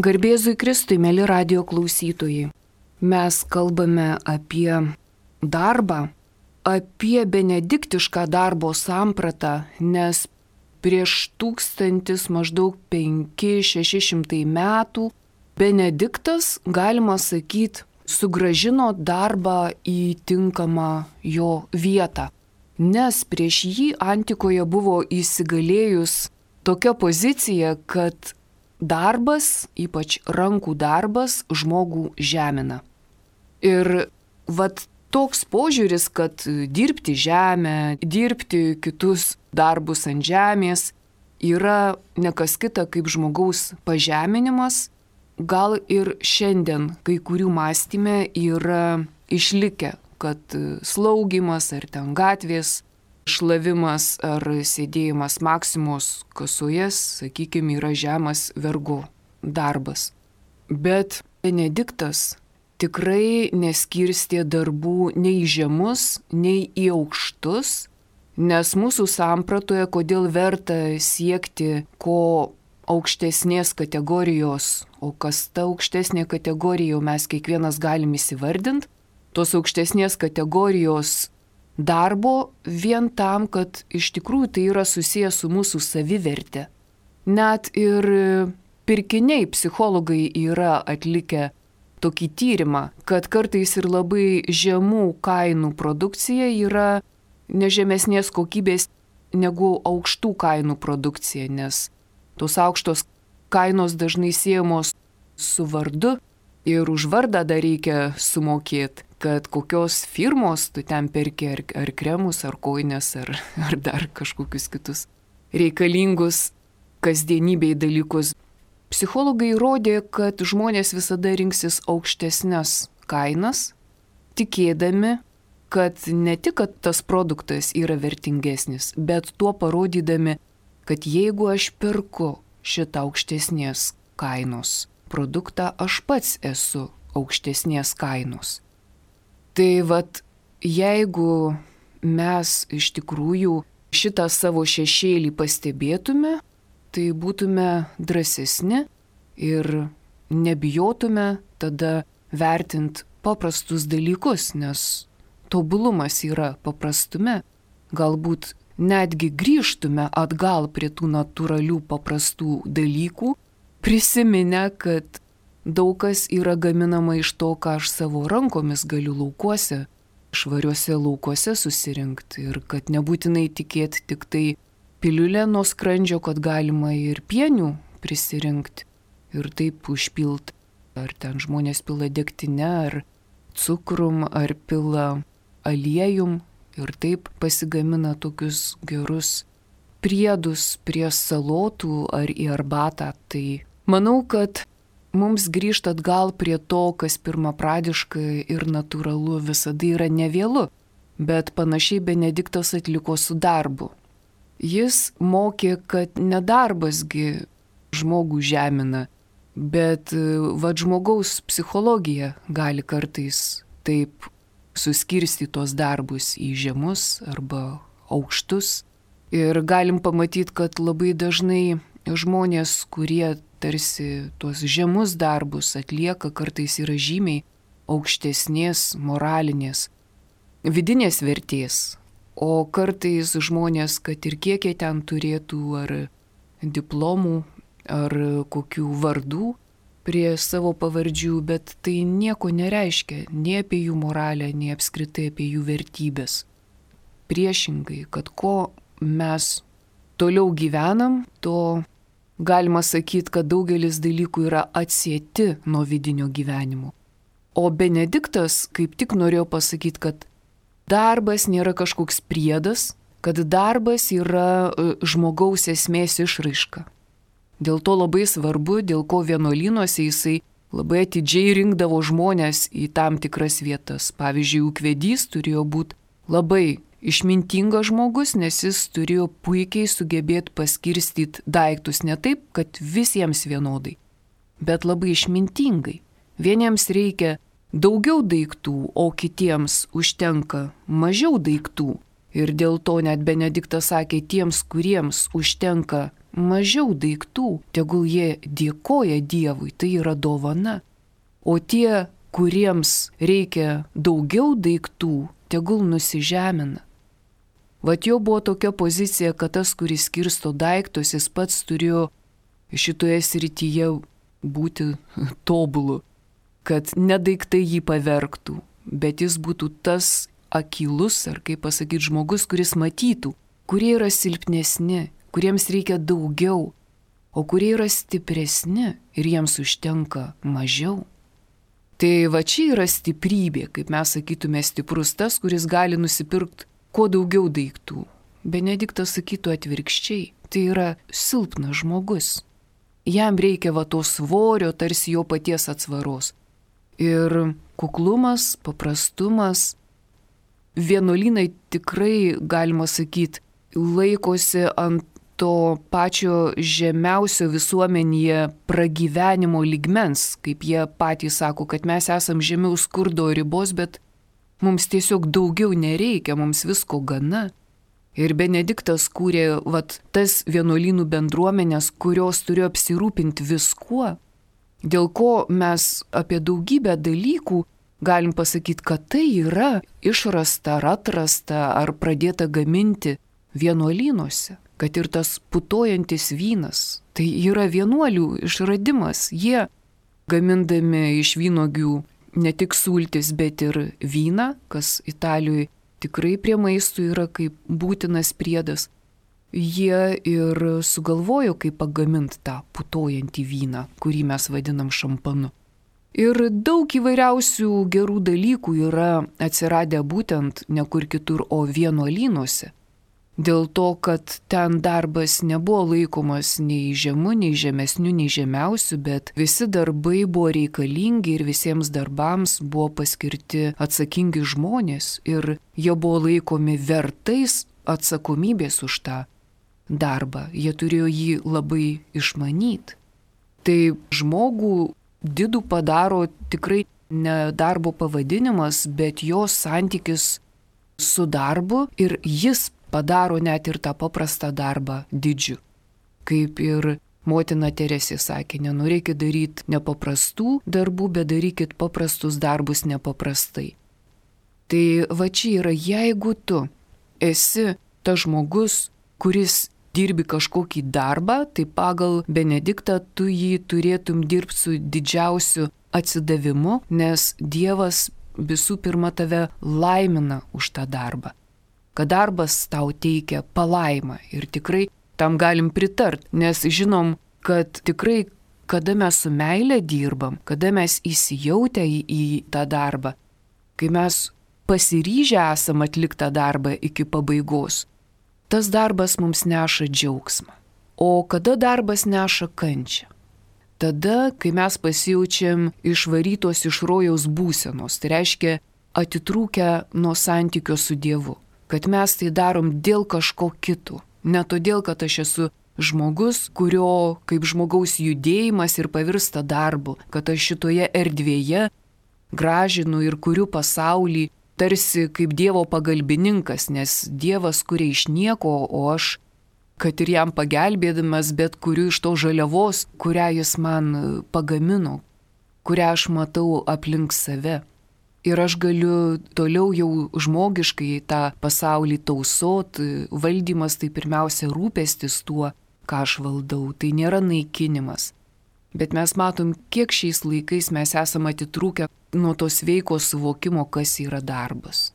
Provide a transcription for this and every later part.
Garbėzui Kristui, mėly radijo klausytojai, mes kalbame apie darbą, apie benediktišką darbo sampratą, nes prieš 1000 maždaug 500-600 metų Benediktas, galima sakyti, sugrąžino darbą į tinkamą jo vietą, nes prieš jį antikoje buvo įsigalėjus tokia pozicija, kad darbas, ypač rankų darbas, žmogų žemina. Ir toks požiūris, kad dirbti žemę, dirbti kitus darbus ant žemės yra nekas kita kaip žmogaus pažeminimas, gal ir šiandien kai kurių mąstyme yra išlikę, kad slaugymas ar ten gatvės šlavimas ar sėdėjimas Maksimos kasoje, sakykime, yra žemas vergo darbas. Bet Benediktas tikrai neskirstė darbų nei į žemus, nei į aukštus, nes mūsų sampratoje, kodėl verta siekti ko aukštesnės kategorijos, o kas ta aukštesnė kategorija, jau mes kiekvienas galim įsivardinti, tos aukštesnės kategorijos darbo vien tam, kad iš tikrųjų tai yra susijęs su mūsų saviverte. Net ir pirkiniai psichologai yra atlikę tokį tyrimą, kad kartais ir labai žemų kainų produkcija yra nežemesnės kokybės negu aukštų kainų produkcija, nes tos aukštos kainos dažnai siejamos su vardu ir už vardą dar reikia sumokėti, kad kokios firmos tu ten perki ar kremus, ar kojines, ar dar kažkokius kitus reikalingus kasdienybei dalykus. Psichologai įrodė, kad žmonės visada rinksis aukštesnes kainas, tikėdami, kad ne tik kad tas produktas yra vertingesnis, bet tuo parodydami, kad jeigu aš perku šitą aukštesnės kainos produktą, aš pats esu aukštesnės kainos. Tai jeigu mes iš tikrųjų šitą savo šešėlį pastebėtume, tai būtume drąsesni ir nebijotume tada vertinti paprastus dalykus, nes tobulumas yra paprastume. Galbūt netgi grįžtume atgal prie tų natūralių paprastų dalykų, prisiminę, kad daug kas yra gaminama iš to, ką aš savo rankomis galiu laukuose, švariuose laukuose susirinkti ir kad nebūtinai tikėti tik tai piliulę nuo skrandžio, kad galima ir pienių prisirinkti ir taip užpilti. Ar ten žmonės pila degtinę, ar cukrum, ar pila aliejum ir taip pasigamina tokius gerus priedus prie salotų ar į arbatą. Tai manau, kad mums grįžti atgal prie to, kas pirmapradiškai ir natūralu, visada yra nevėlu, bet panašiai Benediktas atliko su darbu. Jis mokė, kad nedarbasgi žmogų žemina, bet žmogaus psichologija gali kartais taip suskirstyti tos darbus į žemus arba aukštus. Ir galim pamatyti, kad labai dažnai žmonės, kurie tarsi tuos žemus darbus atlieka, kartais yra žymiai aukštesnės moralinės, vidinės vertės. O kartais žmonės, kad ir kiek jie ten turėtų ar diplomų, ar kokių vardų prie savo pavardžių, bet tai nieko nereiškia nei apie jų moralę, nei apskritai apie jų vertybės. Priešingai, kad ko mes toliau gyvenam, to galima sakyti, kad daugelis dalykų yra atsieti nuo vidinio gyvenimo. O Benediktas kaip tik norėjo pasakyti, kad darbas nėra kažkoks priedas, kad darbas yra žmogaus esmės išraiška. Dėl to labai svarbu, dėl ko vienuolynuose jisai labai atidžiai rinkdavo žmonės į tam tikras vietas. Pavyzdžiui, ūkvedys turėjo būti labai išmintingas žmogus, nes jis turėjo puikiai sugebėti paskirstyti daiktus ne taip, kad visiems vienodai, bet labai išmintingai. Vieniems reikia daugiau daiktų, o kitiems užtenka mažiau daiktų. Ir dėl to net Benediktas sakė, tiems, kuriems užtenka mažiau daiktų, tegul jie dėkoja Dievui, tai yra dovana. O tie, kuriems reikia daugiau daiktų, tegul nusižemina. Vat jo buvo tokia pozicija, kad tas, kuris skirsto daiktus, jis pats turėjo šitoje srityje būti tobulu, kad ne daiktai jį pavergtų, bet jis būtų tas akylus, ar kaip pasakyti, žmogus, kuris matytų, kurie yra silpnesni, kuriems reikia daugiau, o kurie yra stipresni ir jiems užtenka mažiau. Tai va čia yra stiprybė, kaip mes sakytume, stiprus tas, kuris gali nusipirkti kuo daugiau daiktų. Benediktas sakytų atvirkščiai, tai yra silpnas žmogus. Jam reikia va to svorio, tarsi jo paties atsvaros. Ir kuklumas, paprastumas, vienuolynai tikrai, galima sakyti, laikosi ant to pačio žemiausio visuomenėje pragyvenimo lygmens, kaip jie patys sako, kad mes esam žemiau skurdo ribos, bet mums tiesiog daugiau nereikia, mums visko gana. Ir Benediktas kūrė tas vienuolynų bendruomenės, kurios turėjo apsirūpinti viskuo, dėl ko mes apie daugybę dalykų galim pasakyti, kad tai yra išrasta ar atrasta ar pradėta gaminti vienuolynuose. Kad ir tas putojantis vynas, tai yra vienuolių išradimas. Jie gamindami iš vynuogių ne tik sultis, bet ir vyną, kas Italijoje tikrai prie maistų yra kaip būtinas priedas. Jie ir sugalvojo, kaip pagaminti tą putojantį vyną, kurį mes vadinam šampanu. Ir daug įvairiausių gerų dalykų yra atsiradę būtent ne kur kitur, o vienuolynuose. Dėl to, kad ten darbas nebuvo laikomas nei žemu, nei žemesniu, nei žemiausiu, bet visi darbai buvo reikalingi ir visiems darbams buvo paskirti atsakingi žmonės ir jie buvo laikomi vertais atsakomybės už tą darbą. Jie turėjo jį labai išmanyti. Tai žmogų didų padaro tikrai ne darbo pavadinimas, bet jo santykis su darbu ir jis padaro net ir tą paprastą darbą didžiu. Kaip ir motina Teresė sakė, nenorėkit daryti nepaprastų darbų, bet darykit paprastus darbus nepaprastai. Tai va čia yra, jeigu tu esi tas žmogus, kuris dirbi kažkokį darbą, tai pagal Benediktą tu jį turėtum dirbti su didžiausiu atsidavimu, nes Dievas visų pirma tave laimina už tą darbą. Kad darbas tau teikia palaimą ir tikrai tam galim pritart, nes žinom, kad tikrai, kada mes su meile dirbam, kada mes įsijautę į tą darbą, kai mes pasiryžę esam atlikti tą darbą iki pabaigos, tas darbas mums neša džiaugsmą. O kada darbas neša kančią? Tada, kai mes pasijaučiam išvarytos iš rojaus būsenos, tai reiškia atitrūkę nuo santykio su Dievu. Kad mes tai darom dėl kažko kito. Ne todėl, kad aš esu žmogus, kurio kaip žmogaus judėjimas ir pavirsta darbu, kad aš šitoje erdvėje gražinu ir kuriu pasaulį tarsi kaip Dievo pagalbininkas, nes Dievas kuria iš nieko, o aš, kad ir jam pagelbėdamas, bet kuriu iš to žaliavos, kurią jis man pagamino, kurią aš matau aplink save. Ir aš galiu toliau jau žmogiškai tą pasaulį tausot, valdymas tai pirmiausia rūpestis tuo, ką aš valdau, tai nėra naikinimas. Bet mes matom, kiek šiais laikais mes esame atitrūkę nuo to sveiko suvokimo, kas yra darbas.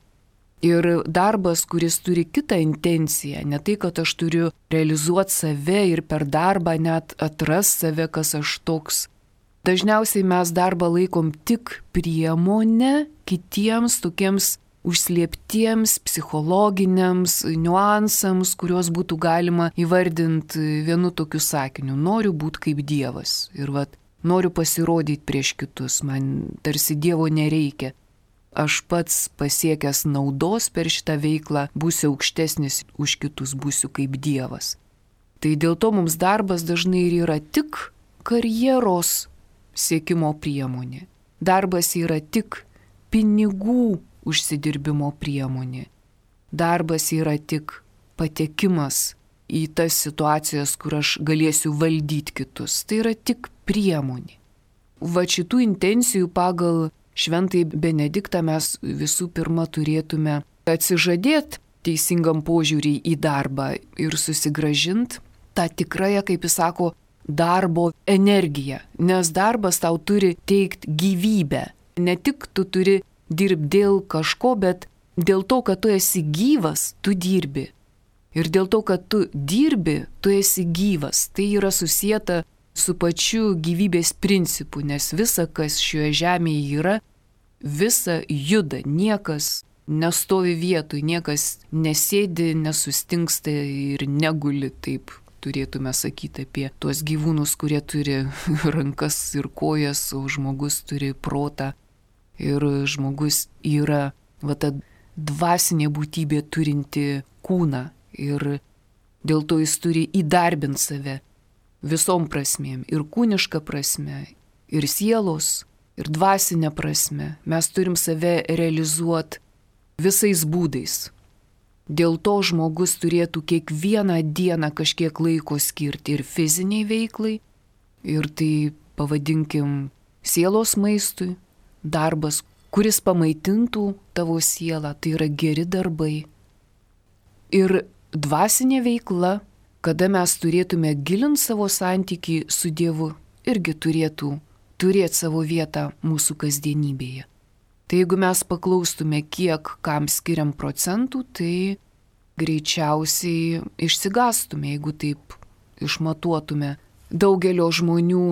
Ir darbas, kuris turi kitą intenciją, ne tai, kad aš turiu realizuoti save ir per darbą net atras save, kas aš toks. Dažniausiai mes darbą laikom tik priemonę kitiems tokiems užslėptiems psichologiniams niuansams, kuriuos būtų galima įvardinti vienu tokiu sakiniu. Noriu būti kaip Dievas ir noriu pasirodyti prieš kitus, man tarsi Dievo nereikia. Aš pats pasiekęs naudos per šitą veiklą būsiu aukštesnis už kitus, būsiu kaip Dievas. Tai dėl to mums darbas dažnai ir yra tik karjeros siekimo priemonė. Darbas yra tik pinigų užsidirbimo priemonė. Darbas yra tik patekimas į tas situacijas, kur aš galėsiu valdyti kitus. Tai yra tik priemonė. Va šitų intencijų pagal Šventąjį Benediktą mes visų pirma turėtume atsižadėti teisingam požiūrį į darbą ir susigrąžinti tą tikrąją, kaip jis sako, darbo energiją. Nes darbas tau turi teikti gyvybę. Ne tik tu turi dirbti dėl kažko, bet dėl to, kad tu esi gyvas, tu dirbi. Ir dėl to, kad tu dirbi, tu esi gyvas. Tai yra susieta su pačiu gyvybės principu, nes visa, kas šioje žemėje yra, visa juda, niekas nestovi vietoj, niekas nesėdi, nesustingsta ir neguli, taip turėtume sakyti apie tuos gyvūnus, kurie turi rankas ir kojas, o žmogus turi protą. Ir žmogus yra ta dvasinė būtybė turinti kūną ir dėl to jis turi įdarbinti save visom prasmėm, ir kūniška prasme, ir sielos, ir dvasinė prasme. Mes turim save realizuoti visais būdais. Dėl to žmogus turėtų kiekvieną dieną kažkiek laiko skirti ir fiziniai veiklai, ir tai pavadinkim sielos maistui, darbas, kuris pamaitintų tavo sielą, tai yra geri darbai. Ir dvasinė veikla, kada mes turėtume gilinti savo santykį su Dievu, irgi turėtų turėti savo vietą mūsų kasdienybėje. Tai jeigu mes paklaustume, kiek kam skiriam procentų, tai greičiausiai išsigastume, jeigu taip išmatuotume daugelio žmonių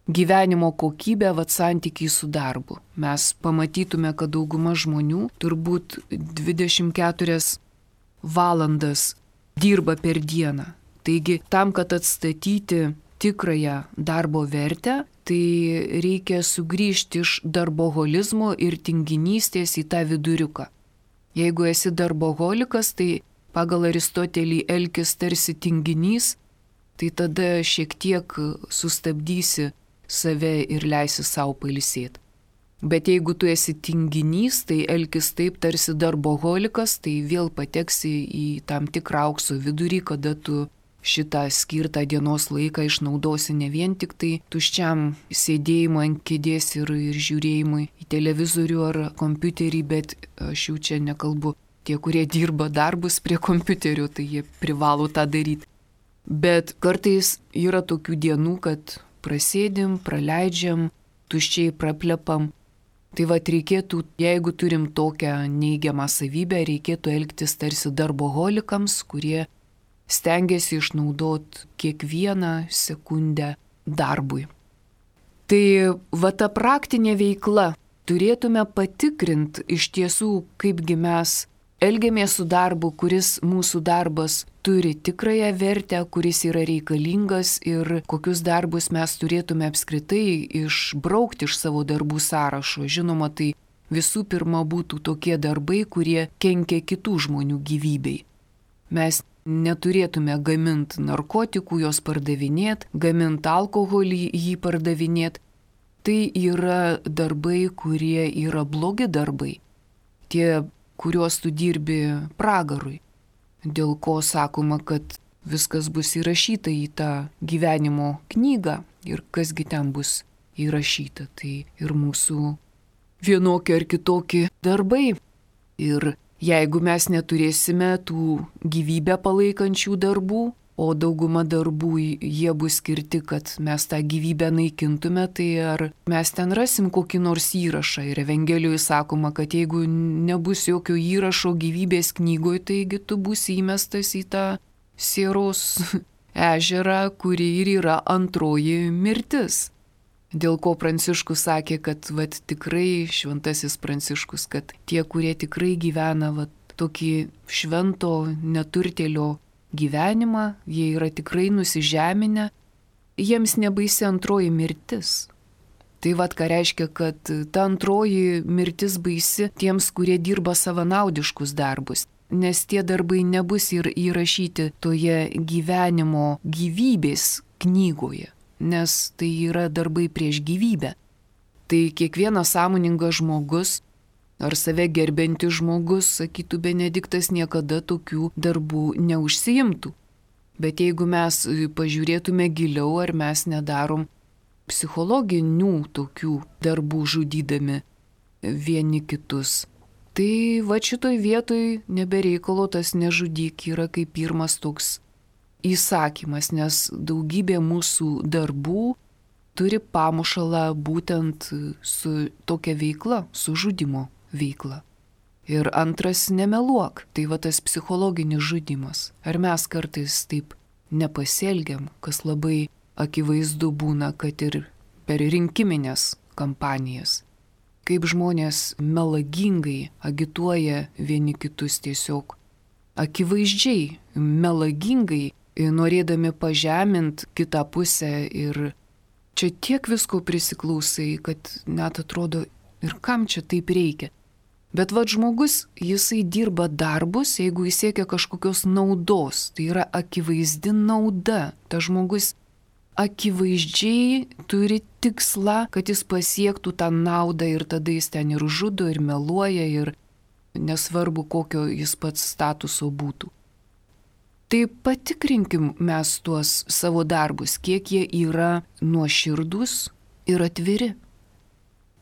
gyvenimo kokybę, santykiai su darbu. Mes pamatytume, kad dauguma žmonių turbūt 24 valandas dirba per dieną. Taigi, tam, kad atstatyti tikrąją darbo vertę, tai reikia sugrįžti iš darboholizmo ir tinginystės į tą viduriuką. Jeigu esi darboholikas, tai pagal Aristotelį elkis tarsi tinginys, tai tada šiek tiek sustabdysi save ir leisi savo pailsėti. Bet jeigu tu esi tinginys, tai elkis taip tarsi darboholikas, tai vėl pateksi į tam tikrą aukso vidurį, kada tu šitą skirtą dienos laiką išnaudosi ne vien tik tai tuščiam sėdėjimui ant kėdės ir žiūrėjimui į televizorių ar kompiuterį, bet aš jau čia nekalbu tie, kurie dirba darbus prie kompiuterio, tai jie privalo tą daryti. Bet kartais yra tokių dienų, kad prasėdim, praleidžiam, tuščiai praplepam. Tai reikėtų, jeigu turim tokią neigiamą savybę, reikėtų elgtis tarsi darboholikams, kurie stengiasi išnaudoti kiekvieną sekundę darbui. Tai ta praktinė veikla, turėtume patikrinti iš tiesų, kaipgi mes elgiamės su darbu, kuris mūsų darbas turi tikrąją vertę, kuris yra reikalingas ir kokius darbus mes turėtume apskritai išbraukti iš savo darbų sąrašo. Žinoma, tai visų pirma būtų tokie darbai, kurie kenkia kitų žmonių gyvybei. Mes neturėtume gaminti narkotikų, jos pardavinėti, gaminti alkoholį, jį pardavinėti. Tai yra darbai, kurie yra blogi darbai. Tie, kuriuos tu dirbi pragarui. Dėl ko sakoma, kad viskas bus įrašyta į tą gyvenimo knygą ir kasgi ten bus įrašyta. Tai ir mūsų vienokie ar kitokie darbai. Ir jeigu mes neturėsime tų gyvybę palaikančių darbų, o dauguma darbų jie bus skirti, kad mes tą gyvybę naikintume, tai ar mes ten rasim kokį nors įrašą. Ir Evangelijoje sakoma, kad jeigu nebus jokio įrašo gyvybės knygoje, taigi tu būsi įmestas į tą sieros ežerą, kuri ir yra antroji mirtis. Dėl ko Pranciškus sakė, kad tikrai šventasis Pranciškus, kad tie, kurie tikrai gyvena tokį švento neturtėlio gyvenimą, jie yra tikrai nusižeminę, jiems nebaisi antroji mirtis. Tai ką reiškia, kad ta antroji mirtis baisi tiems, kurie dirba savanaudiškus darbus, nes tie darbai nebus ir įrašyti toje gyvenimo gyvybės knygoje, nes tai yra darbai prieš gyvybę. Tai kiekvienas sąmoningas žmogus ar save gerbiantis žmogus, sakytų Benediktas, niekada tokių darbų neužsiimtų. Bet jeigu mes pažiūrėtume giliau, ar mes nedarom psichologinių tokių darbų žudydami vieni kitus, tai va šitoj vietoj nebereikalo tas nežudyk yra kaip pirmas toks įsakymas, nes daugybė mūsų darbų turi pamušalą būtent su tokia veikla, su žudimo veikla. Ir antras nemeluok, tai va tas psichologinis žudimas. Ar mes kartais taip nepasielgiam, kas labai akivaizdu būna, kad ir per rinkiminės kampanijas. Kaip žmonės melagingai agituoja vieni kitus tiesiog akivaizdžiai, melagingai, norėdami pažemint kitą pusę ir čia tiek visko prisiklausai, kad net atrodo ir kam čia taip reikia. Bet vad žmogus, jisai dirba darbus, jeigu jis siekia kažkokios naudos, tai yra akivaizdi nauda. Ta žmogus akivaizdžiai turi tikslą, kad jis pasiektų tą naudą ir tada jis ten ir žudo, ir meluoja, ir nesvarbu, kokio jis pats statuso būtų. Tai patikrinkim mes tuos savo darbus, kiek jie yra nuoširdūs ir atviri.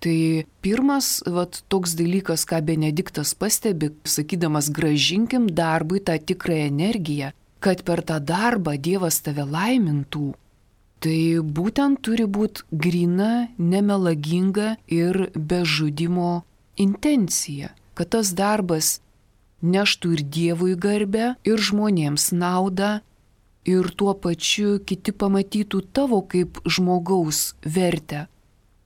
Tai pirmas toks dalykas, ką Benediktas pastebi, sakydamas grąžinkim darbui tą tikrąją energiją, kad per tą darbą Dievas tave laimintų. Tai būtent turi būti grina, nemelaginga ir be žudimo intencija, kad tas darbas neštų ir Dievui garbę, ir žmonėms naudą, ir tuo pačiu kiti pamatytų tavo kaip žmogaus vertę.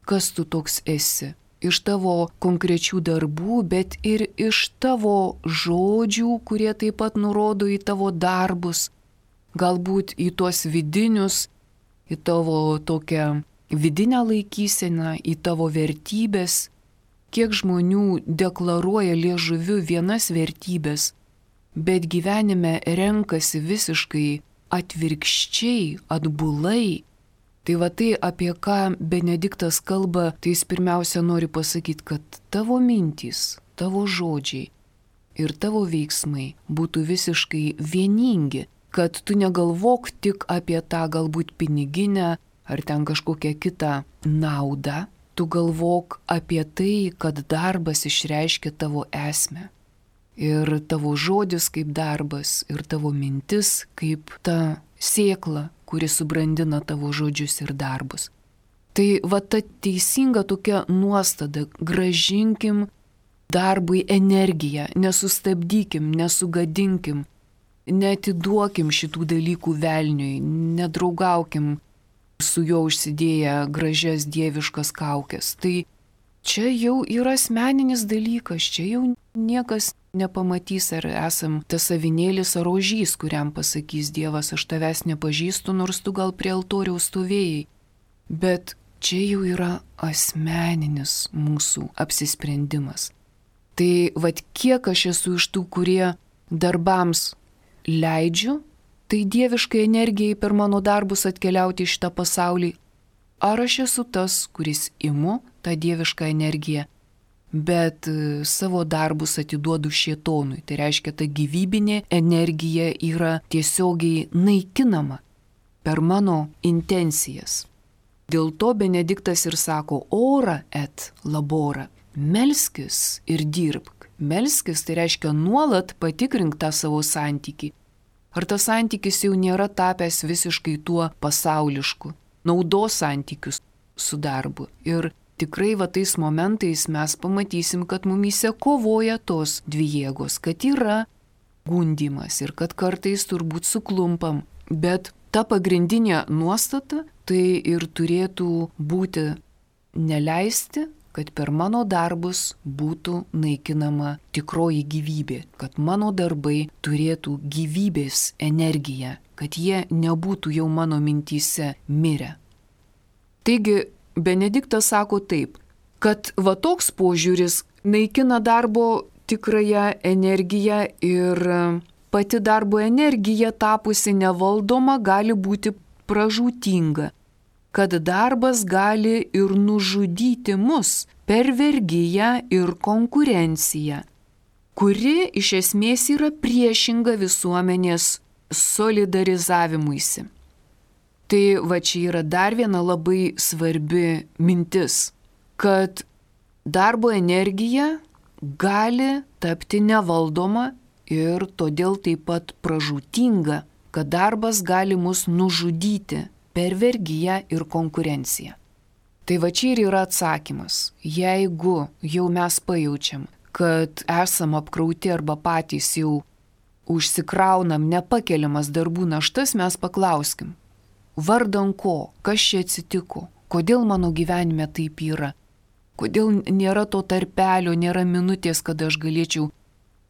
Kas tu toks esi? Iš tavo konkrečių darbų, bet ir iš tavo žodžių, kurie taip pat nurodo į tavo darbus, galbūt į tuos vidinius, į tavo tokią vidinę laikyseną, į tavo vertybės. Kiek žmonių deklaruoja liežuviu vienas vertybės, bet gyvenime renkasi visiškai atvirkščiai, atbulai. Tai va tai, apie ką Benediktas kalba, tai jis pirmiausia nori pasakyti, kad tavo mintys, tavo žodžiai ir tavo veiksmai būtų visiškai vieningi, kad tu negalvok tik apie tą galbūt piniginę ar ten kažkokią kitą naudą, tu galvok apie tai, kad darbas išreiškia tavo esmę. Ir tavo žodis kaip darbas, ir tavo mintis kaip ta sėkla, kuri subrandina tavo žodžius ir darbus. Tai va ta teisinga tokia nuostata, grąžinkim darbui energiją, nesustabdykim, nesugadinkim, neatiduokim šitų dalykų velniui, nedraugaukim su juo užsidėję gražias dieviškas kaukes. Tai čia jau yra asmeninis dalykas, čia jau niekas nepamatys, ar esam tas avinėlis ar ožys, kuriam pasakys Dievas, aš tavęs nepažįstu, nors tu gal prie altoriaus stovėjai. Bet čia jau yra asmeninis mūsų apsisprendimas. Tai vat kiek aš esu iš tų, kurie darbams leidžiu, tai dieviškai energijai per mano darbus atkeliauti į šitą pasaulį. Ar aš esu tas, kuris imu tą dievišką energiją, bet savo darbus atiduodu šėtonui. Tai reiškia, ta gyvybinė energija yra tiesiogiai naikinama per mano intencijas. Dėl to Benediktas ir sako, ora et labora, melskis ir dirbk. Melskis tai reiškia nuolat patikrink tą savo santykį. Ar tas santykis jau nėra tapęs visiškai tuo pasaulišku, naudos santykius su darbu. Ir tikrai va tais momentais mes pamatysim, kad mumyse kovoja tos dvi jėgos, kad yra gundymas ir kad kartais turbūt suklumpam. Bet ta pagrindinė nuostata tai ir turėtų būti neleisti, kad per mano darbus būtų naikinama tikroji gyvybė, kad mano darbai turėtų gyvybės energiją, kad jie nebūtų jau mano mintyse mirę. Taigi, Benediktas sako taip, kad va toks požiūris naikina darbo tikrąją energiją ir pati darbo energija tapusi nevaldoma gali būti pražūtinga, kad darbas gali ir nužudyti mus per vergiją ir konkurenciją, kuri iš esmės yra priešinga visuomenės solidarizavimuisi. Tai va čia yra dar viena labai svarbi mintis, kad darbo energija gali tapti nevaldoma ir todėl taip pat pražūtinga, kad darbas gali mus nužudyti per vergiją ir konkurenciją. Tai va čia ir yra atsakymas. Jeigu jau mes pajaučiam, kad esam apkrauti arba patys jau užsikraunam nepakeliamas darbų naštas, mes paklauskim, vardan ko, kas čia atsitiko, kodėl mano gyvenime taip yra, kodėl nėra to tarpelio, nėra minutės, kada aš galėčiau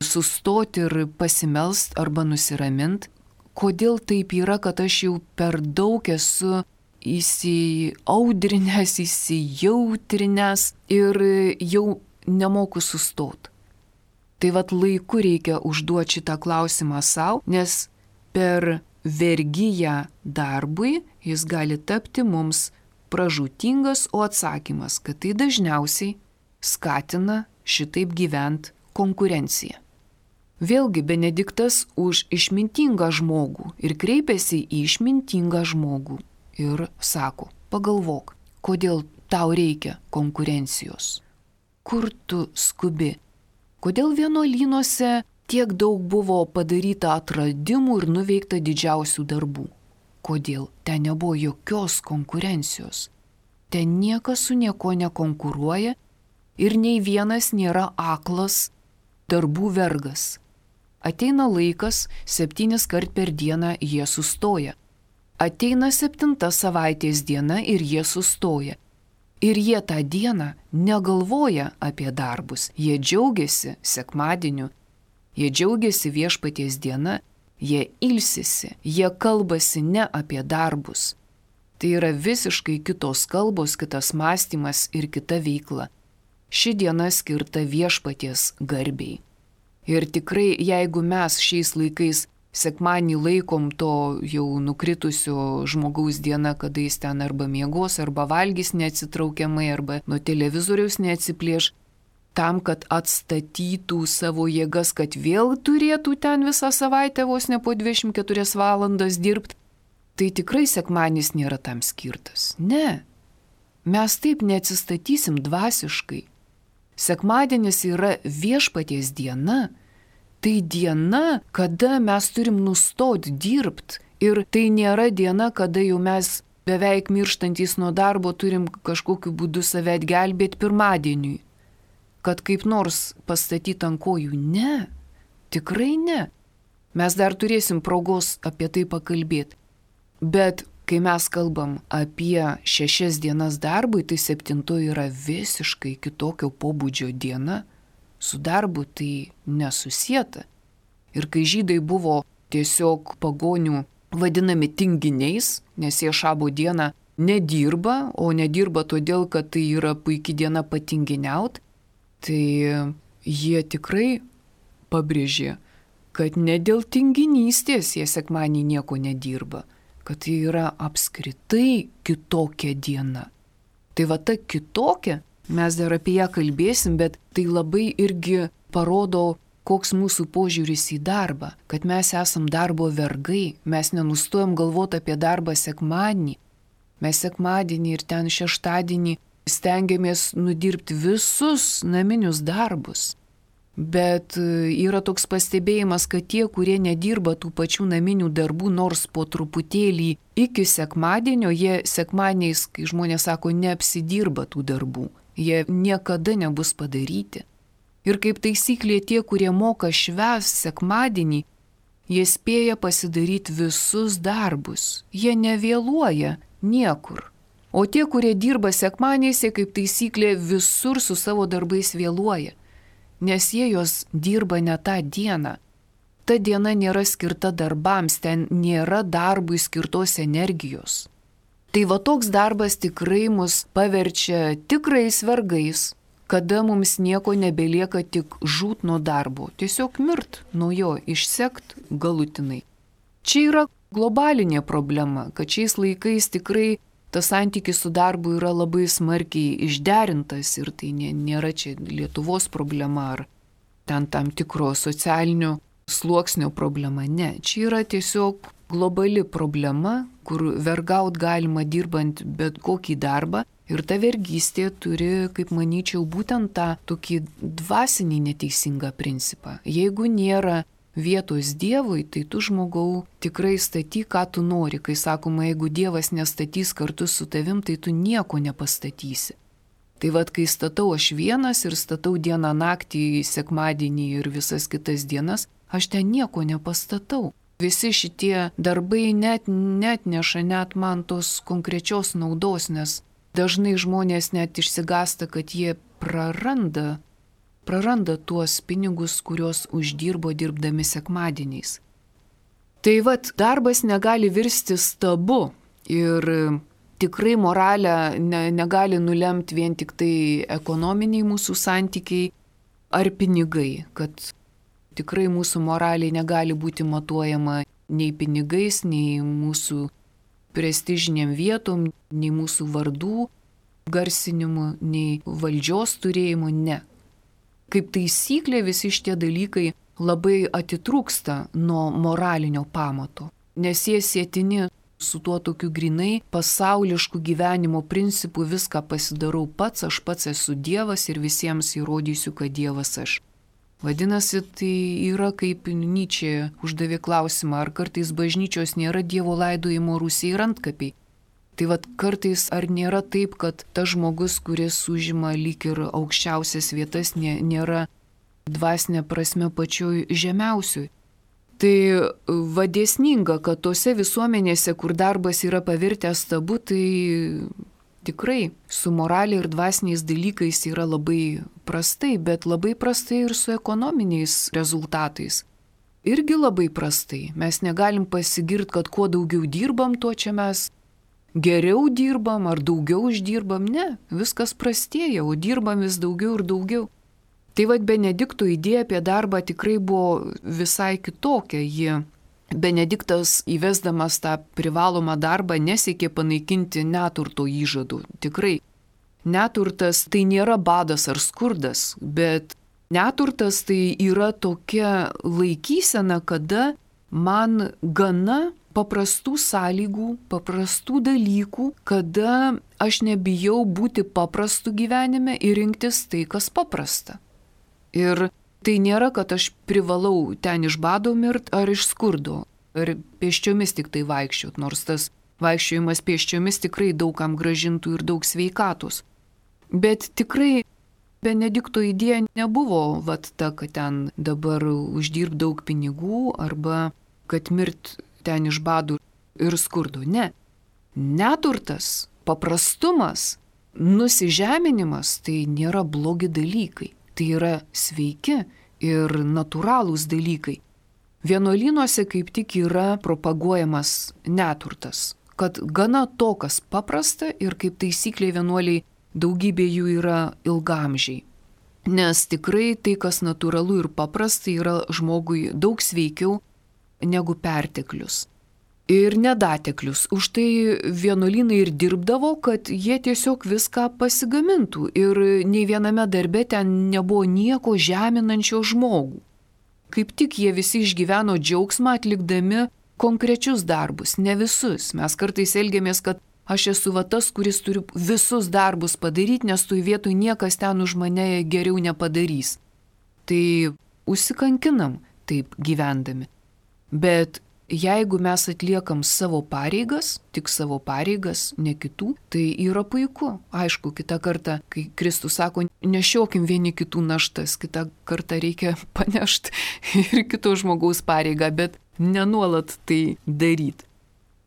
sustoti ir pasimelst arba nusiramint, kodėl taip yra, kad aš jau per daug esu įsiaudrinęs, įsijautrinęs ir jau nemoku sustot. Tai vat laiku reikia užduoti šitą klausimą savo, nes per vergiją darbui jis gali tapti mums pražūtingas, o atsakymas, kad tai dažniausiai skatina šitaip gyvent konkurenciją. Vėlgi Benediktas už išmintingą žmogų ir kreipiasi į išmintingą žmogų ir sako, pagalvok, kodėl tau reikia konkurencijos, kur tu skubi, kodėl vienuolynuose tiek daug buvo padaryta atradimų ir nuveikta didžiausių darbų. Kodėl? Ten nebuvo jokios konkurencijos. Ten niekas su nieko nekonkuruoja ir nei vienas nėra aklas darbų vergas. Ateina laikas, 7 kart per dieną jie sustoja. Ateina 7 savaitės diena ir jie sustoja. Ir jie tą dieną negalvoja apie darbus. Jie džiaugiasi sekmadieniu, jie džiaugiasi viešpaties diena, jie ilsisi, jie kalbasi ne apie darbus. Tai yra visiškai kitos kalbos, kitas mąstymas ir kita veikla. Ši diena skirta viešpaties garbei. Ir tikrai, jeigu mes šiais laikais sekmadienį laikom to jau nukritusio žmogaus diena, kada jis ten arba miegos, arba valgys neatsitraukiamai, arba nuo televizoriaus neatsiplėš, tam, kad atstatytų savo jėgas, kad vėl turėtų ten visą savaitę vos ne po 24 valandas dirbti, tai tikrai sekmadienis nėra tam skirtas. Ne, mes taip neatsistatysim dvasiškai. Sekmadienis yra viešpaties diena, tai diena, kada mes turim nustoti dirbti ir tai nėra diena, kada jau mes beveik mirštantys nuo darbo turim kažkokiu būdu save atgelbėti pirmadieniui, kad kaip nors pastatyti ant kojų. Ne, tikrai ne. Mes dar turėsim progos apie tai pakalbėti. Bet kai mes kalbam apie 6 dienas darbui, tai 7 yra visiškai kitokio pobūdžio diena. Su darbu tai nesusieta. Ir kai žydai buvo tiesiog pagonių vadinami tinginiais, nes jie šabo dieną nedirba, o nedirba todėl, kad tai yra puikia diena patinginiaut, tai jie tikrai pabrėžė, kad ne dėl tinginystės jie sekmadienį nieko nedirba, kad tai yra apskritai kitokia diena. Tai va ta kitokia, mes dar apie ją kalbėsim, bet tai labai irgi parodo, koks mūsų požiūris į darbą, kad mes esam darbo vergai, mes nenustojam galvoti apie darbą sekmadienį. Mes sekmadienį ir ten šeštadienį stengiamės nudirbti visus naminius darbus. Bet yra toks pastebėjimas, kad tie, kurie nedirba tų pačių naminių darbų, nors po truputėlį iki sekmadienio, jie sekmadieniais, kai žmonės sako, neapsidirba tų darbų. Jie niekada nebus padaryti. Ir kaip taisyklė tie, kurie moka švęs sekmadienį, jie spėja pasidaryti visus darbus. Jie nevėluoja niekur. O tie, kurie dirba sekmadieniais, jie kaip taisyklė visur su savo darbais vėluoja. Nes jie jos dirba ne tą dieną. Ta diena nėra skirta darbams, ten nėra darbui skirtos energijos. Tai va toks darbas tikrai mus paverčia tikrais vergais, kada mums nieko nebelieka tik žūt nuo darbo, tiesiog mirt nuo jo, išsekt galutinai. Čia yra globalinė problema, kad šiais laikais tikrai tas santykis su darbu yra labai smarkiai išderintas ir tai nėra čia Lietuvos problema ar ten tam tikro socialinio sluoksnio problema. Ne, čia yra tiesiog globali problema, kur vergaut galima dirbant bet kokį darbą. Ir ta vergystė turi, kaip manyčiau, būtent tą tokį dvasinį neteisingą principą. Jeigu nėra vietos Dievui, tai tu žmogau tikrai statyk, ką tu nori. Kai sakoma, jeigu Dievas nestatys kartu su tavim, tai tu nieko nepastatysi. Tai vad, kai statau aš vienas ir statau dieną naktį, sekmadienį ir visas kitas dienas, aš ten nieko nepastatau. Visi šitie darbai net neša net man tos konkrečios naudos, nes dažnai žmonės net išsigąsta, kad jie praranda tuos pinigus, kuriuos uždirbo dirbdami sekmadieniais. Tai vat, darbas negali virsti stabu ir tikrai moralę negali nulemti vien tik tai ekonominiai mūsų santykiai ar pinigai, kad tikrai mūsų moraliai negali būti matuojama nei pinigais, nei mūsų prestižiniam vietom, nei mūsų vardų garsinimu, nei valdžios turėjimu, ne. Kaip taisyklė visi šitie dalykai labai atitrūksta nuo moralinio pamato, nes jie sėtini su tuo tokiu grinai pasaulišku gyvenimo principu viską pasidarau pats, aš pats esu Dievas ir visiems įrodysiu, kad Dievas aš. Vadinasi, tai yra kaip Nyčė uždavė klausimą, ar kartais bažnyčios nėra Dievo laidojimo rūsiai ir antkapiai. Tai vad kartais ar nėra taip, kad tas žmogus, kuris užima lyg ir aukščiausias vietas, nėra dvasinė prasme pačioj žemiausioj. Tai vadėsninga, kad tose visuomenėse, kur darbas yra pavirtęs stabu, tai tikrai su moraliai ir dvasiniais dalykais yra labai prastai, bet labai prastai ir su ekonominiais rezultatais. Irgi labai prastai. Mes negalim pasigirti, kad kuo daugiau dirbam, tuo čia mes geriau dirbam ar daugiau uždirbam. Ne, viskas prastėja, o dirbam vis daugiau ir daugiau. Tai vad Benedikto idėja apie darbą tikrai buvo visai kitokia. Benediktas įvesdamas tą privalomą darbą nesiekė panaikinti neturto įžadų. Tikrai, neturtas tai nėra badas ar skurdas, bet neturtas tai yra tokia laikysena, kada man gana paprastų sąlygų, paprastų dalykų, kada aš nebijau būti paprastu gyvenime ir rinktis tai, kas paprasta. Ir tai nėra, kad aš privalau ten iš bado mirt ar iš skurdo, ar pėsčiomis tik tai vaikščiot, nors tas vaikščiojimas pėsčiomis tikrai daugam gražintų ir daug sveikatos. Bet tikrai Benedikto idėja nebuvo ta, kad ten dabar uždirb daug pinigų arba kad mirt ten iš badų ir skurdo. Ne. Neturtas, paprastumas, nusižeminimas tai nėra blogi dalykai. Tai yra sveiki ir natūralūs dalykai. Vienuolynuose kaip tik yra propaguojamas neturtas, kad gana to, kas paprasta ir kaip taisyklė vienuoliai daugybė jų yra ilgamžiai. Nes tikrai tai, kas natūralu ir paprasta, yra žmogui daug sveikiau negu perteklius. Ir nedateklius. Už tai vienuolynai ir dirbdavo, kad jie tiesiog viską pasigamintų ir nei viename darbe ten nebuvo nieko žeminančio žmogų. Kaip tik jie visi išgyveno džiaugsmą atlikdami konkrečius darbus, ne visus. Mes kartais elgiamės, kad aš esu tas, kuris turi visus darbus padaryti, nes toj vietoj niekas ten už mane geriau nepadarys. Tai užsikankinam taip gyvendami. Bet jeigu mes atliekam savo pareigas, tik savo pareigas, ne kitų, tai yra puiku. Aišku, kitą kartą, kai Kristus sako, nešiokim vieni kitų naštas, kitą kartą reikia panešti ir kito žmogaus pareigą, bet nenuolat tai daryti.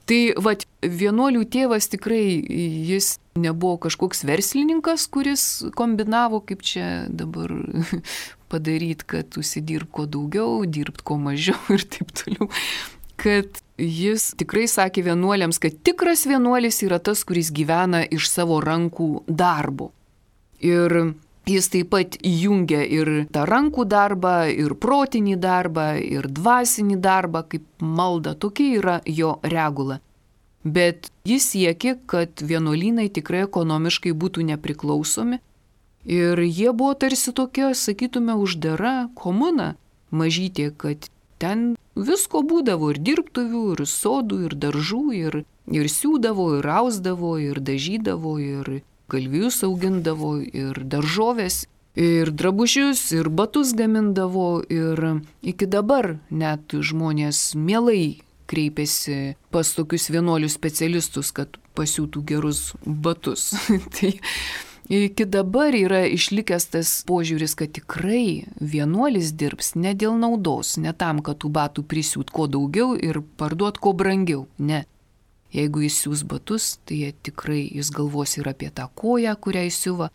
Tai vienuolių tėvas tikrai, jis nebuvo kažkoks verslininkas, kuris kombinavo, kaip čia dabar padaryti, kad užsidirb kuo daugiau, dirbt kuo mažiau ir taip toliau. Kad jis tikrai sakė vienuoliams, kad tikras vienuolis yra tas, kuris gyvena iš savo rankų darbo. Ir jis taip pat įjungia ir tą rankų darbą, ir protinį darbą, ir dvasinį darbą, kaip malda. Tokia yra jo regula. Bet jis siekė, kad vienuolynai tikrai ekonomiškai būtų nepriklausomi. Ir jie buvo tarsi tokia, sakytume, uždara komuna mažytė, kad ten visko būdavo, ir dirbtuvių, ir sodų, ir daržų, ir siūdavo, ir ausdavo, ir dažydavo, ir galvijus augindavo, ir daržovės, ir drabužius, ir batus gamindavo, ir iki dabar net žmonės mielai kreipiasi pas tokius vienuolių specialistus, kad pasiūtų gerus batus. Tai iki dabar yra išlikęs tas požiūris, kad tikrai vienuolis dirbs ne dėl naudos, ne tam, kad tų batų prisiūt kuo daugiau ir parduot kuo brangiau. Ne. Jeigu jis siūs batus, tai tikrai jis galvos ir apie tą koją, kurią jis siuva,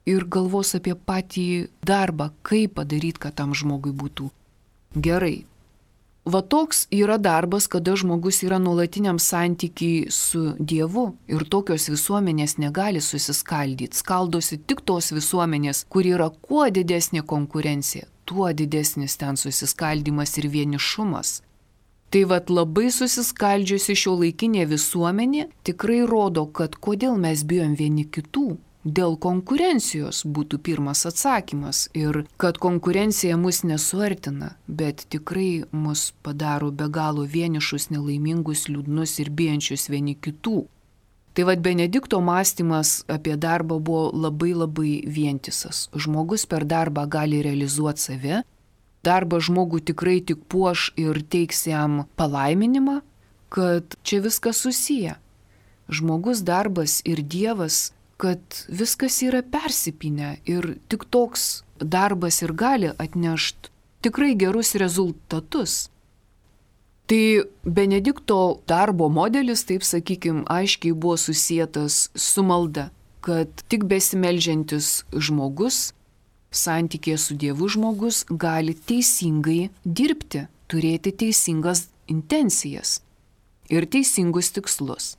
ir galvos apie patį darbą, kaip padaryti, kad tam žmogui būtų gerai. Va toks yra darbas, kada žmogus yra nuolatiniam santykiai su Dievu, ir tokios visuomenės negali susiskaldyti. Skaldosi tik tos visuomenės, kur yra kuo didesnė konkurencija, tuo didesnis ten susiskaldimas ir vienišumas. Tai vat labai susiskaldžiusi šiuolaikinė visuomenė tikrai rodo, kad kodėl mes bijom vieni kitų. Dėl konkurencijos būtų pirmas atsakymas, ir kad konkurencija mus nesuartina, bet tikrai mus padaro be galo vienišus, nelaimingus, liūdnus ir bijančius vieni kitų. Tai vad Benedikto mąstymas apie darbą buvo labai vientisas. Žmogus per darbą gali realizuoti save, darbas žmogų tikrai tik puoš ir teiks jam palaiminimą, kad čia viskas susiję. Žmogus, darbas ir Dievas, kad viskas yra persipynę, ir tik toks darbas ir gali atnešti tikrai gerus rezultatus. Tai Benedikto darbo modelis, taip sakykim, aiškiai buvo susietas su malda, kad tik besimeldžiantis žmogus, santykėje su Dievu žmogus, gali teisingai dirbti, turėti teisingas intencijas ir teisingus tikslus.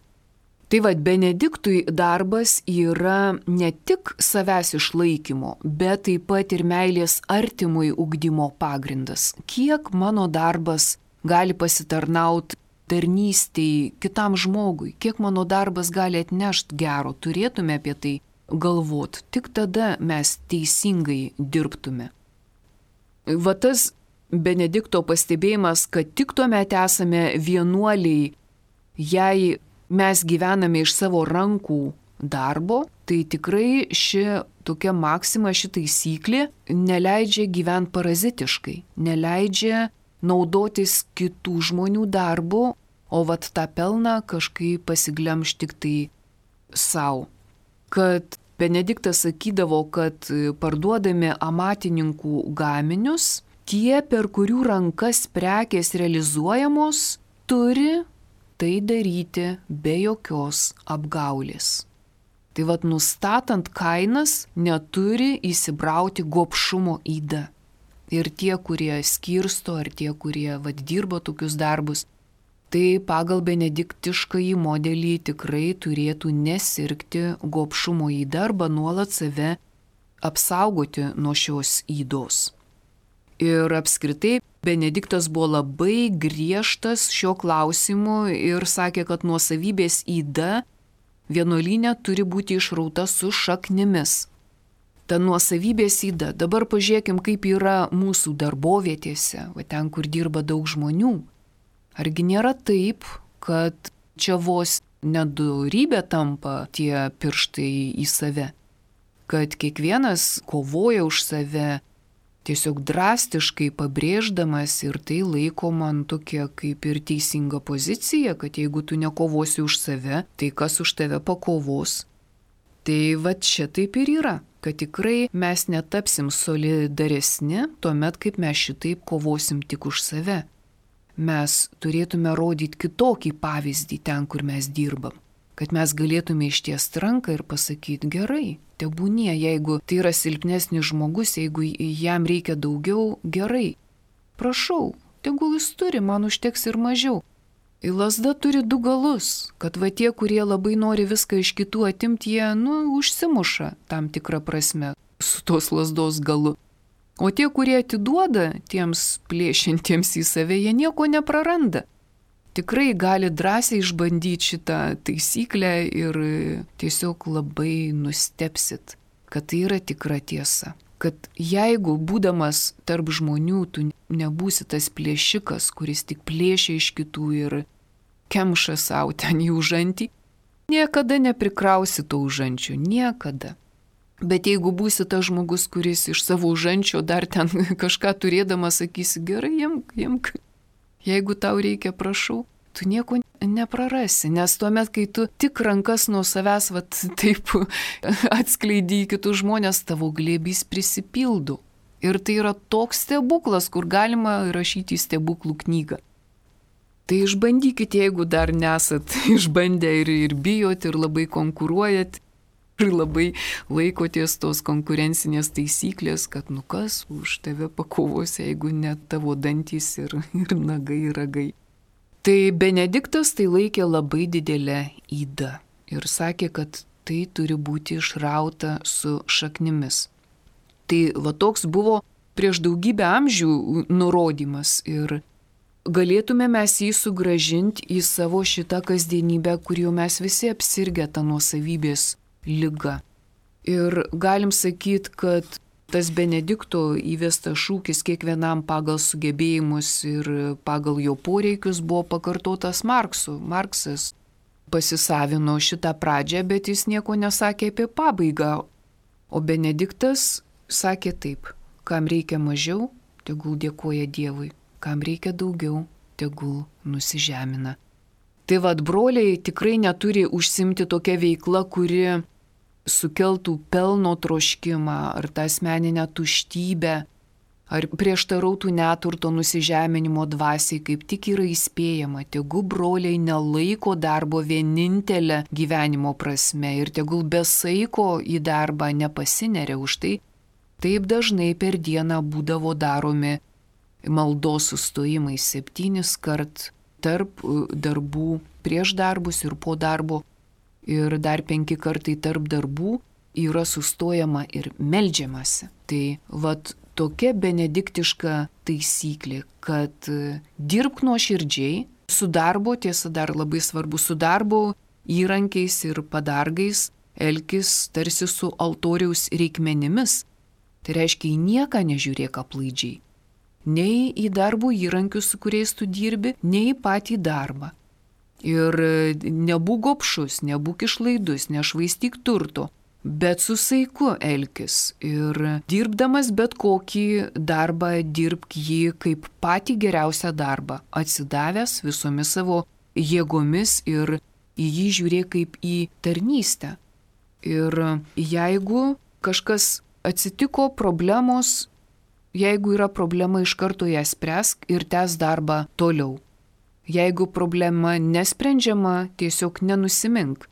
Tai vad Benediktui darbas yra ne tik savęs išlaikymo, bet taip pat ir meilės artimui ugdymo pagrindas. Kiek mano darbas gali pasitarnauti tarnystei kitam žmogui, kiek mano darbas gali atnešti gero, turėtume apie tai galvoti. Tik tada mes teisingai dirbtume. Va tas Benedikto pastebėjimas, kad tik tuomet esame vienuoliai, jei mes gyvename iš savo rankų darbo, tai tikrai ši tokia maksima, ši taisyklė neleidžia gyventi parazitiškai, neleidžia naudotis kitų žmonių darbu, o vat tą pelną kažkaip pasiglemš tik tai savo. Kad Benediktas sakydavo, kad parduodami amatininkų gaminius, tie, per kurių rankas prekės realizuojamos, turi tai daryti be jokios apgaulės. Tai vat nustatant kainas neturi įsibrauti gobšumo yda. Ir tie, kurie skirsto, ar tie, kurie vat dirbo tokius darbus, tai pagal benediktiškąjį modelį tikrai turėtų nesirgti gobšumo yda arba nuolat save apsaugoti nuo šios ydos. Ir apskritai Benediktas buvo labai griežtas šio klausimu ir sakė, kad nuosavybės yda vienuolyne turi būti išrauta su šaknimis. Ta nuosavybės yda, dabar pažiūrėkim, kaip yra mūsų darbovietėse, va ten, kur dirba daug žmonių. Argi nėra taip, kad čia vos nedorybė tampa tie pirštai į save, kad kiekvienas kovoja už save, tiesiog drastiškai pabrėždamas, ir tai laikoma tokia kaip ir teisinga pozicija, kad jeigu tu nekovosi už save, tai kas už tave pakovos. Tai va čia taip ir yra, kad tikrai mes netapsim solidaresni tuomet, kaip mes šitaip kovosim tik už save. Mes turėtume rodyti kitokį pavyzdį ten, kur mes dirbam, kad mes galėtume ištiesti ranką ir pasakyti gerai. Tebūnie, jeigu tai yra silpnesnis žmogus, jeigu jam reikia daugiau, gerai. Prašau, tegul jis turi, man užteks ir mažiau. Lazda turi du galus, kad va tie, kurie labai nori viską iš kitų atimti, jie, užsimuša tam tikrą prasme su tos lazdos galu. O tie, kurie atiduoda tiems plėšintiems į save, jie nieko nepraranda. Tikrai gali drąsiai išbandyti šitą taisyklę ir tiesiog labai nustebsit, kad tai yra tikra tiesa. kad jeigu būdamas tarp žmonių tu nebūsi tas plėšikas, kuris tik plėšia iš kitų ir kemša savo ten į užantį, niekada neprikrausi to užančio, niekada. Bet jeigu būsi tas žmogus, kuris iš savo užančio dar ten kažką turėdamas sakysi, gerai, imk, jeigu tau reikia, prašau, tu nieko neprarasi, nes tuomet, kai tu tik rankas nuo savęs taip atskleidži į kitus žmonės, tavo glėbys prisipildo. Ir tai yra toks stebuklas, kur galima rašyti stebuklų knygą. Tai išbandykite, jeigu dar nesat išbandę ir bijot, ir labai konkuruojat, ir labai laikotės tos konkurencinės taisyklės, kad kas už tave pakovos, jeigu net tavo dantys ir nagai, ir ragai. Tai Benediktas tai laikė labai didelę ydą ir sakė, kad tai turi būti išrauta su šaknimis. Tai toks buvo prieš daugybę amžių nurodymas ir galėtume mes jį sugrąžinti į savo šitą kasdienybę, kur jau mes visi apsirgę tą nuosavybės ligą. Ir galim sakyti, kad tas Benedikto įvestas šūkis kiekvienam pagal sugebėjimus ir pagal jo poreikius buvo pakartotas Marksu. Marksas pasisavino šitą pradžią, bet jis nieko nesakė apie pabaigą. O Benediktas sakė taip, kam reikia mažiau, tegul dėkoja Dievui, kam reikia daugiau, tegul nusižemina. Tai broliai tikrai neturi užsimti tokia veikla, kuri sukeltų pelno troškimą, ar tą asmeninę tuštybę, ar prieštarautų neturto nusižeminimo dvasiai, kaip tik yra įspėjama, tegu broliai nelaiko darbo vienintelę gyvenimo prasme ir tegul be saiko į darbą nepasineria. Už tai taip dažnai per dieną būdavo daromi maldos sustojimai 7 kart tarp darbų, prieš darbus ir po darbo. Ir dar 5 kartai tarp darbų yra sustojama ir meldžiamasi. Tai tokia benediktiška taisyklė, kad dirbk nuoširdžiai, su darbo, tiesa dar labai svarbu, su darbo įrankiais ir padargais, elkis tarsi su altoriaus reikmenimis. Tai reiškia, į nieką nežiūrėk aplaidžiai. Nei į darbo įrankius, su kuriais tu dirbi, nei į patį darbą. Ir nebūk gobšus, nebūk išlaidus, nešvaistyk turto, bet su saiku elkis. Ir dirbdamas bet kokį darbą, dirbk jį kaip patį geriausią darbą, atsidavęs visomis savo jėgomis ir į jį žiūrėk kaip į tarnystę. Ir jeigu kažkas atsitiko, problemos, jeigu yra problema, iš karto ją spręsk ir tęsk darbą toliau. Jeigu problema nesprendžiama, tiesiog nenusimink,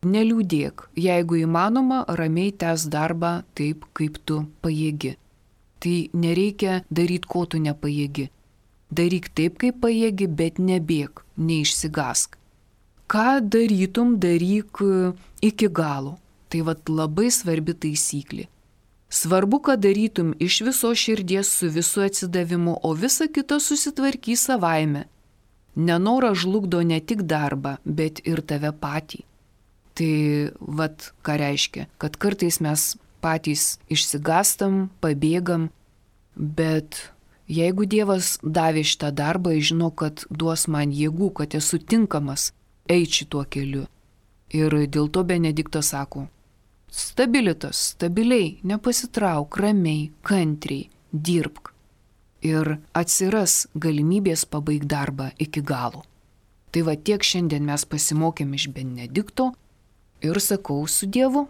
neliūdėk, jeigu įmanoma, ramiai tęsk darbą taip, kaip tu pajėgi. Tai nereikia daryti, ko tu nepajėgi. Daryk taip, kaip pajėgi, bet nebėk, neišsigask. Ką darytum, daryk iki galo. Tai labai svarbi taisyklė. Svarbu, kad darytum iš viso širdies su visu atsidavimu, o visa kita susitvarkys savaime. Nenoras žlugdo ne tik darbą, bet ir tave patį. Tai ką reiškia, kad kartais mes patys išsigastam, pabėgam, bet jeigu Dievas davė šitą darbą, žino, kad duos man jėgų, kad esu tinkamas eiti šituo keliu. Ir dėl to Benediktas sako, stabiliai, nepasitrauk, ramiai, kantriai, dirbk. Ir atsiras galimybės pabaigti darbą iki galo. Tai tiek šiandien mes pasimokėm iš Benedikto ir sakau su Dievu.